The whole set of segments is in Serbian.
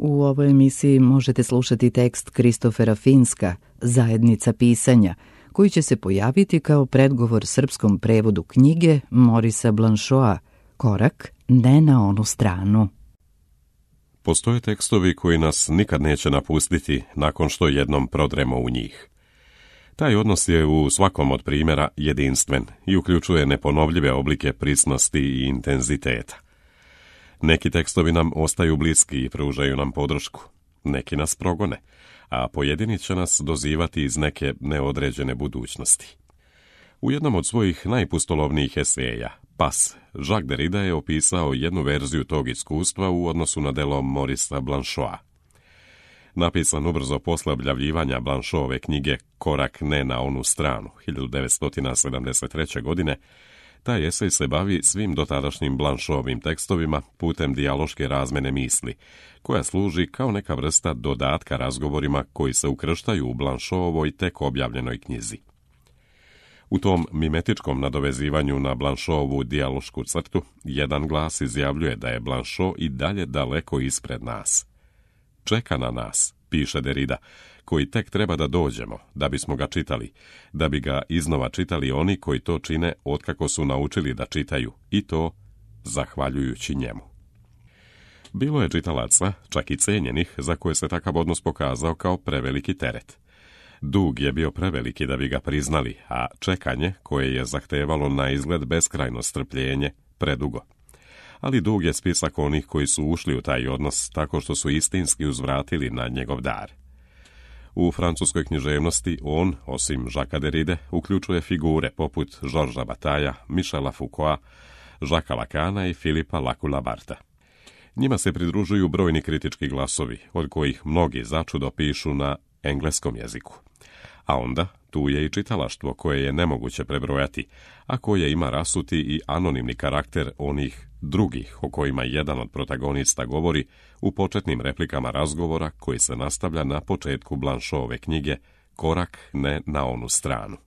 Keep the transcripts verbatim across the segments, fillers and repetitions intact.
U ovoj emisiji možete slušati tekst Kristofera Finska, Zajednica pisanja, koji će se pojaviti kao predgovor srpskom prevodu knjige Morisa Blanchoa, Korak ne na onu stranu. Postoje tekstovi koji nas nikad neće napustiti nakon što jednom prodremo u njih. Taj odnos je u svakom od primjera jedinstven i uključuje neponovljive oblike prisnosti i intenziteta. Neki tekstovi nam ostaju bliski i pružaju nam podršku, neki nas progone, a pojedini će nas dozivati iz neke neodređene budućnosti. U jednom od svojih najpustolovnijih eseja, Pas, Jacques Derrida je opisao jednu verziju tog iskustva u odnosu na delo Morisa Blanchoa. Napisan ubrzo posle objavljivanja Blanchoove knjige Korak ne na onu stranu, hiljadu devetsto sedamdeset treće. godine, taj esej se bavi svim dotadašnjim Blanchoovim tekstovima putem dijaloške razmene misli, koja služi kao neka vrsta dodatka razgovorima koji se ukrštaju u Blanchoovoj tek objavljenoj knjizi. U tom mimetičkom nadovezivanju na Blanchovu dijalošku crtu, jedan glas izjavljuje da je Blanchot i dalje daleko ispred nas. Čeka na nas, piše Derrida, koji tek treba da dođemo, da bismo ga čitali, da bi ga iznova čitali oni koji to čine otkako su naučili da čitaju, i to zahvaljujući njemu. Bilo je čitalaca, čak i cenjenih, za koje se takav odnos pokazao kao preveliki teret. Dug je bio preveliki da bi ga priznali, a čekanje, koje je zahtevalo na izgled beskrajno strpljenje, predugo. Ali dug je spisak onih koji su ušli u taj odnos tako što su istinski uzvratili na njegov dar. U francuskoj književnosti on, osim Jacquesa Derride, uključuje figure poput Georgesa Bataillea, Michela Foucaulta, Jacquesa Lacana i Philippa Lacoue-Labartha. Njima se pridružuju brojni kritički glasovi, od kojih mnogi začudo pišu na engleskom jeziku. A onda, tu je i čitalaštvo koje je nemoguće prebrojati, a koje ima rasuti i anonimni karakter onih drugih o kojima jedan od protagonista govori u početnim replikama razgovora koji se nastavlja na početku Blanchoove knjige Korak ne na onu stranu.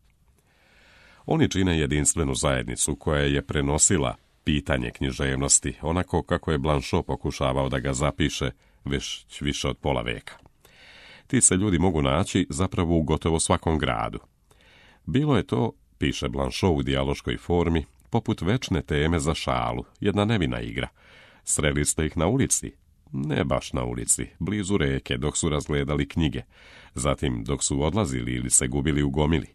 Oni čine jedinstvenu zajednicu koja je prenosila pitanje književnosti onako kako je Blanchot pokušavao da ga zapiše već više od pola veka. Ti se ljudi mogu naći zapravo u gotovo svakom gradu. Bilo je to, piše Blanchot u dijaloškoj formi, poput večne teme za šalu, jedna nevina igra. Sreli ste ih na ulici? Ne baš na ulici, blizu reke, dok su razgledali knjige, zatim dok su odlazili ili se gubili u gomili.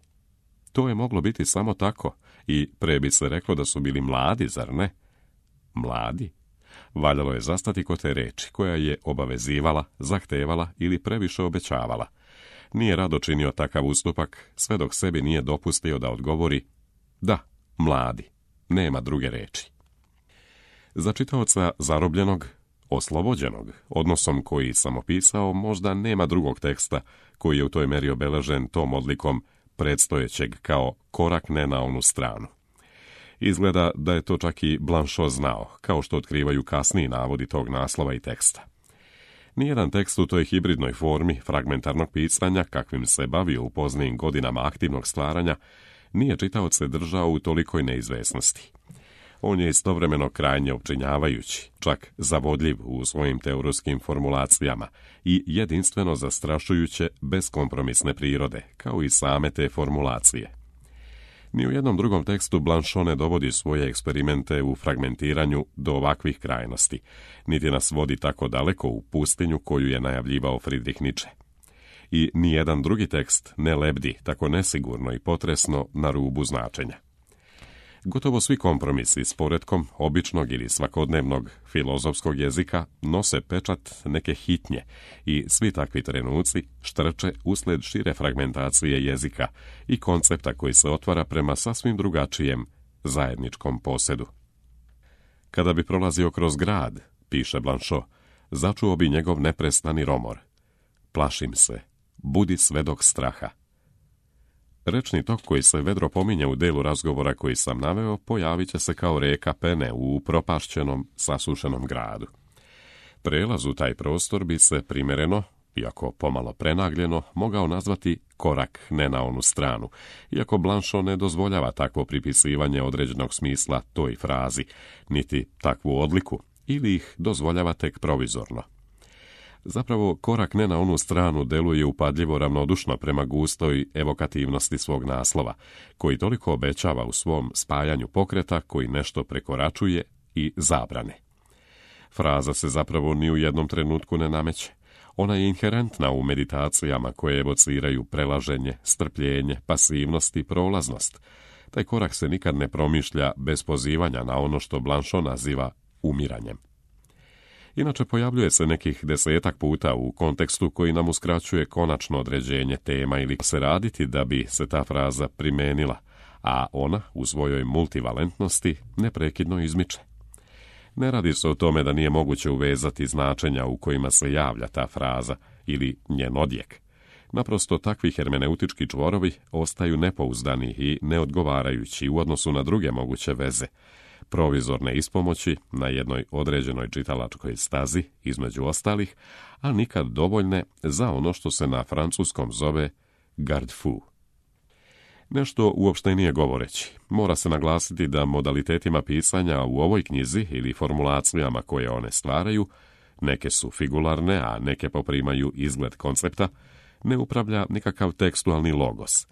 To je moglo biti samo tako i pre bi se reklo da su bili mladi, zar ne? Mladi? Valjalo je zastati kod te reči, koja je obavezivala, zahtevala ili previše obećavala. Nije rado činio takav ustupak, sve dok sebi nije dopustio da odgovori da, mladi, nema druge reči. Za čitaoca zarobljenog, oslobođenog, odnosom koji sam opisao, možda nema drugog teksta koji je u toj meri obeležen tom odlikom predstojećeg kao korak ne na onu stranu. Izgleda da je to čak i Blanchot znao, kao što otkrivaju kasniji navodi tog naslova i teksta. Nijedan tekst u toj hibridnoj formi fragmentarnog pisanja, kakvim se bavio u poznijim godinama aktivnog stvaranja, nije čitaoce držao u tolikoj neizvesnosti. On je istovremeno krajnje opčinjavajući, čak zavodljiv u svojim teorijskim formulacijama i jedinstveno zastrašujuće beskompromisne prirode, kao i same te formulacije. Ni u jednom drugom tekstu Blanchot ne dovodi svoje eksperimente u fragmentiranju do ovakvih krajnosti, niti nas vodi tako daleko u pustinju koju je najavljivao Friedrich Nietzsche. I nijedan drugi tekst ne lebdi tako nesigurno i potresno na rubu značenja. Gotovo svi kompromisi s poretkom običnog ili svakodnevnog filozofskog jezika nose pečat neke hitnje i svi takvi trenuci štrče usled šire fragmentacije jezika i koncepta koji se otvara prema sasvim drugačijem zajedničkom posedu. Kada bi prolazio kroz grad, piše Blanchot, začuo bi njegov neprestani romor. Plašim se, budi svedok straha. Rečni tok koji se vedro pominje u delu razgovora koji sam naveo pojavit će se kao reka pene u propašćenom, sasušenom gradu. Prelaz u taj prostor bi se primjereno, iako pomalo prenagljeno, mogao nazvati korak ne na onu stranu, iako Blanchot ne dozvoljava takvo pripisivanje određenog smisla toj frazi, niti takvu odliku, ili ih dozvoljava tek provizorno. Zapravo, korak ne na onu stranu deluje upadljivo ravnodušno prema gustoj evokativnosti svog naslova, koji toliko obećava u svom spajanju pokreta koji nešto prekoračuje i zabrane. Fraza se zapravo ni u jednom trenutku ne nameće. Ona je inherentna u meditacijama koje evociraju prelaženje, strpljenje, pasivnost i prolaznost. Taj korak se nikad ne promišlja bez pozivanja na ono što Blanchot naziva umiranjem. Inače, pojavljuje se nekih desetak puta u kontekstu koji nam uskraćuje konačno određenje tema ili se raditi da bi se ta fraza primenila, a ona u svojoj multivalentnosti neprekidno izmiče. Ne radi se o tome da nije moguće uvezati značenja u kojima se javlja ta fraza ili njen odjek. Naprosto, takvi hermeneutički čvorovi ostaju nepouzdani i neodgovarajući u odnosu na druge moguće veze, provizorne ispomoći na jednoj određenoj čitalačkoj stazi, između ostalih, a nikad dovoljne za ono što se na francuskom zove garde-fou. Nešto uopštenije govoreći, mora se naglasiti da modalitetima pisanja u ovoj knjizi ili formulacijama koje one stvaraju, neke su figularne, a neke poprimaju izgled koncepta, ne upravlja nikakav tekstualni logos.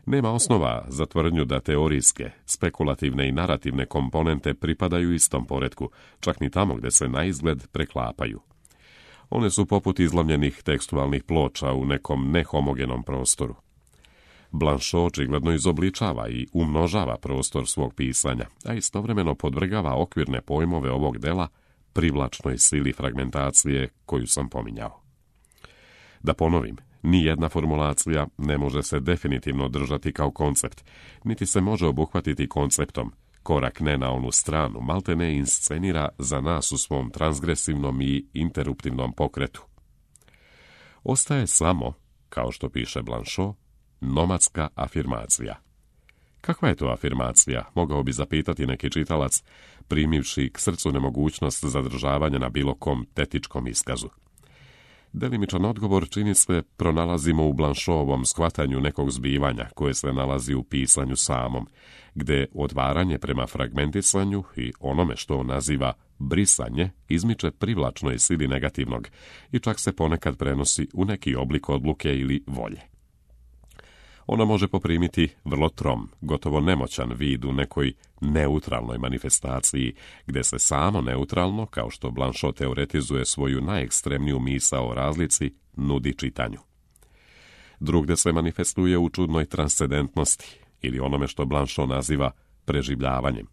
Nema osnova za tvrdnju da teorijske, spekulativne i narativne komponente pripadaju istom poretku, čak ni tamo gdje se na izgled preklapaju. One su poput izlomljenih tekstualnih ploča u nekom nehomogenom prostoru. Blanchot očigledno izobličava i umnožava prostor svog pisanja, a istovremeno podvrgava okvirne pojmove ovog dela privlačnoj sili fragmentacije koju sam pominjao. Da ponovim, ni jedna formulacija ne može se definitivno držati kao koncept, niti se može obuhvatiti konceptom. Korak ne na onu stranu malte ne inscenira za nas u svom transgresivnom i interruptivnom pokretu. Ostaje samo, kao što piše Blanchot, nomadska afirmacija. Kakva je to afirmacija, mogao bi zapitati neki čitalac, primivši k srcu nemogućnost zadržavanja na bilo kom tetičkom iskazu. Delimičan odgovor, čini se, pronalazimo u Blanchotovom shvatanju nekog zbivanja koje se nalazi u pisanju samom, gde odvaranje prema fragmentisanju i onome što on naziva brisanje izmiče privlačnoj sili negativnog i čak se ponekad prenosi u neki oblik odluke ili volje. Ona može poprimiti vrlo trom, gotovo nemoćan vid u nekoj neutralnoj manifestaciji, gde se samo neutralno, kao što Blanchot teoretizuje svoju najekstremniju misao o razlici, nudi čitanju. Drugde se manifestuje u čudnoj transcendentnosti, ili onome što Blanchot naziva preživljavanjem.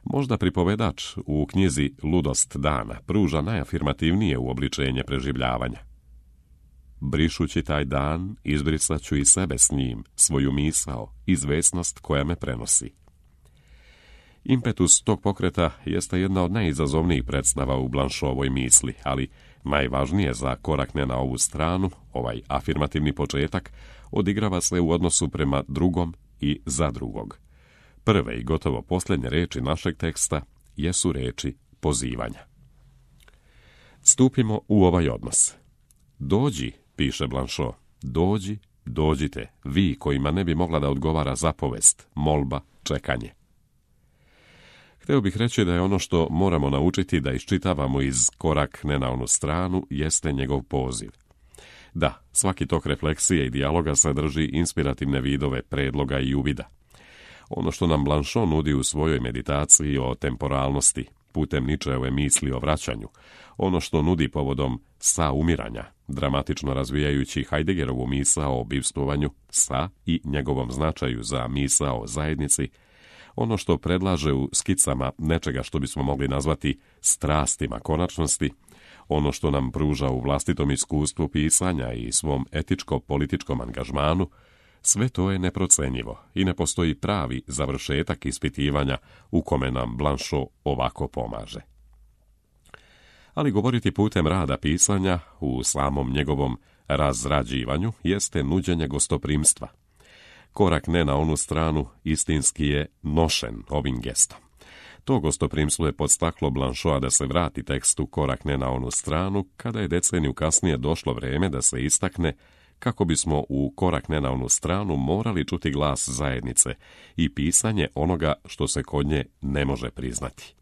Možda pripovedač u knjizi Ludost dana pruža najafirmativnije uobličenje preživljavanja. Brišući taj dan, izbrisat ću i sebe s njim, svoju misao, izvesnost koja me prenosi. Impetus tog pokreta jeste jedna od najizazovnijih predstava u Blanchotovoj misli, ali najvažnije za korak ne na ovu stranu, ovaj afirmativni početak, odigrava se u odnosu prema drugom i za drugog. Prve i gotovo posljednje reči našeg teksta jesu reči pozivanja. Stupimo u ovaj odnos. Dođi, piše Blanchot, dođi, dođite, vi kojima ne bi mogla da odgovara zapovest, molba, čekanje. Hteo bih reći da je ono što moramo naučiti da iščitavamo iz korak ne na onu stranu jeste njegov poziv. Da, svaki tok refleksije i dijaloga sadrži inspirativne vidove predloga i uvida. Ono što nam Blanchot nudi u svojoj meditaciji o temporalnosti, putem Nietzscheove misli o vraćanju, ono što nudi povodom saumiranja, dramatično razvijajući Heideggerovu misao o bivstvovanju sa i njegovom značaju za misao o zajednici, ono što predlaže u skicama nečega što bismo mogli nazvati strastima konačnosti, ono što nam pruža u vlastitom iskustvu pisanja i svom etičko-političkom angažmanu, sve to je neprocenjivo i ne postoji pravi završetak ispitivanja u kome nam Blanchot ovako pomaže. Ali govoriti putem rada pisanja u samom njegovom razrađivanju jeste nuđenje gostoprimstva. Korak ne na onu stranu istinski je nošen ovim gestom. To gostoprimstvo je podstaklo Blanchota da se vrati tekstu korak ne na onu stranu, kada je deceniju kasnije došlo vrijeme da se istakne kako bismo u korak ne na onu stranu morali čuti glas zajednice i pisanje onoga što se kod nje ne može priznati.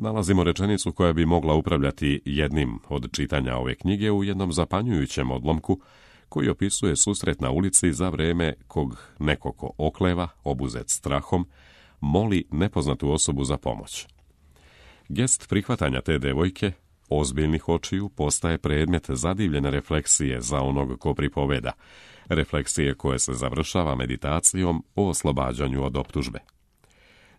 Nalazimo rečenicu koja bi mogla upravljati jednim od čitanja ove knjige u jednom zapanjujućem odlomku koji opisuje susret na ulici za vreme kog neko ko okleva, obuzet strahom, moli nepoznatu osobu za pomoć. Gest prihvatanja te devojke, ozbiljnih očiju, postaje predmet zadivljene refleksije za onog ko pripoveda, refleksije koje se završava meditacijom o oslobađanju od optužbe.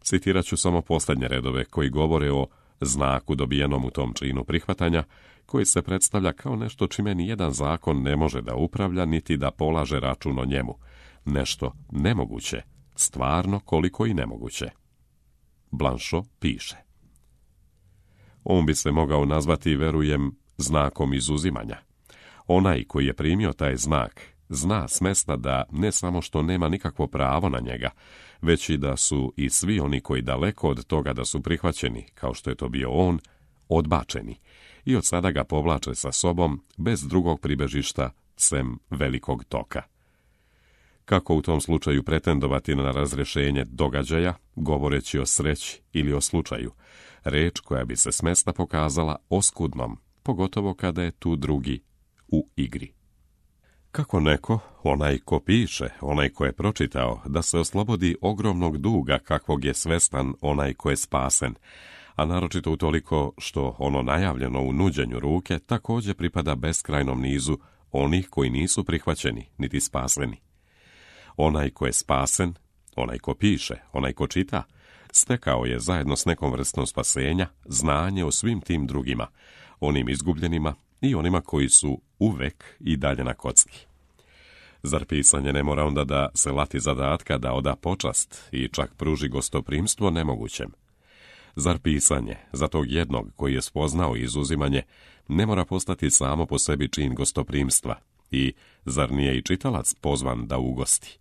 Citirat ću samo posljednje redove koji govore o znaku dobijenom u tom činu prihvatanja, koji se predstavlja kao nešto čime nijedan zakon ne može da upravlja niti da polaže račun o njemu. Nešto nemoguće, stvarno koliko i nemoguće. Blanchot piše. On bi se mogao nazvati, verujem, znakom izuzimanja. Onaj koji je primio taj znak zna smesta da ne samo što nema nikakvo pravo na njega, već i da su i svi oni koji daleko od toga da su prihvaćeni, kao što je to bio on, odbačeni i od sada ga povlače sa sobom bez drugog pribežišta sem velikog toka. Kako u tom slučaju pretendovati na razrješenje događaja, govoreći o sreći ili o slučaju, reč koja bi se smesta pokazala oskudnom, pogotovo kada je tu drugi u igri. Kako neko, onaj ko piše, onaj ko je pročitao, da se oslobodi ogromnog duga kakvog je svestan onaj ko je spasen, a naročito utoliko što ono najavljeno u nuđenju ruke također pripada beskrajnom nizu onih koji nisu prihvaćeni niti spaseni. Onaj ko je spasen, onaj ko piše, onaj ko čita, stekao je zajedno s nekom vrstom spasenja znanje o svim tim drugima, onim izgubljenima i onima koji su uvek i dalje na kocki. Zar pisanje ne mora onda da se lati zadatka da oda počast i čak pruži gostoprimstvo nemogućem? Zar pisanje za tog jednog koji je spoznao izuzimanje ne mora postati samo po sebi čin gostoprimstva i zar nije i čitalac pozvan da ugosti?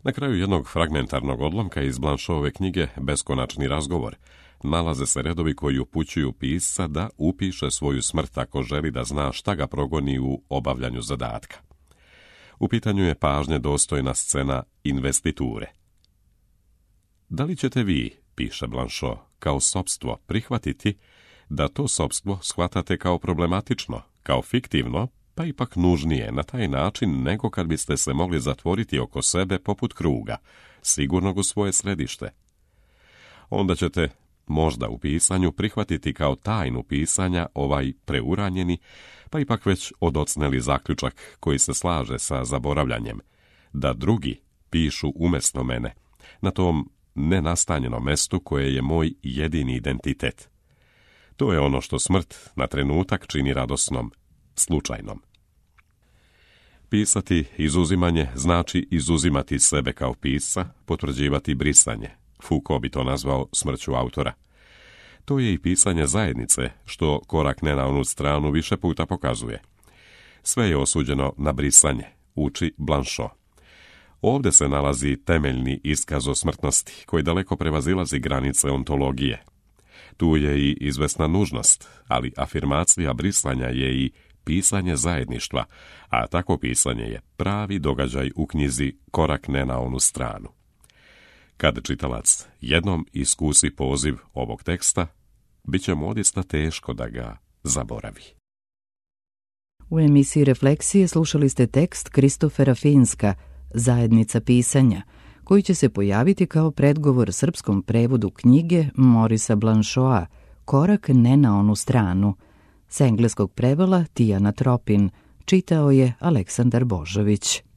Na kraju jednog fragmentarnog odlomka iz Blanchotove knjige Beskonačni razgovor nalaze se redovi koji upućuju pisca da upiše svoju smrt ako želi da zna šta ga progoni u obavljanju zadatka. U pitanju je pažnje dostojna scena investiture. Da li ćete vi, piše Blanchot, kao sopstvo prihvatiti da to sopstvo shvatate kao problematično, kao fiktivno, pa ipak nužnije na taj način nego kad biste se mogli zatvoriti oko sebe poput kruga, sigurnog u svoje središte? Onda ćete možda u pisanju prihvatiti kao tajnu pisanja ovaj preuranjeni, pa ipak već odocneli zaključak koji se slaže sa zaboravljanjem, da drugi pišu umjesto mene, na tom nenastanjenom mestu koje je moj jedini identitet. To je ono što smrt na trenutak čini radosnom, slučajnom. Pisati izuzimanje znači izuzimati sebe kao pisca, potvrđivati brisanje. Foucault bi to nazvao smrću autora. To je i pisanje zajednice, što korak ne na onu stranu više puta pokazuje. Sve je osuđeno na brisanje, uči Blanchot. Ovdje se nalazi temeljni iskaz o smrtnosti, koji daleko prevazilazi granice ontologije. Tu je i izvesna nužnost, ali afirmacija brisanja je i pisanje zajedništva, a tako pisanje je pravi događaj u knjizi Korak ne na onu stranu. Kad čitalac jednom iskusi poziv ovog teksta, bit će mu odista teško da ga zaboravi. U emisiji Refleksije slušali ste tekst Kristofera Finska, Zajednica pisanja, koji će se pojaviti kao predgovor srpskom prevodu knjige Morisa Blanchota Korak ne na onu stranu. S engleskog prevela Tijana Tropin, čitao je Aleksandar Božović.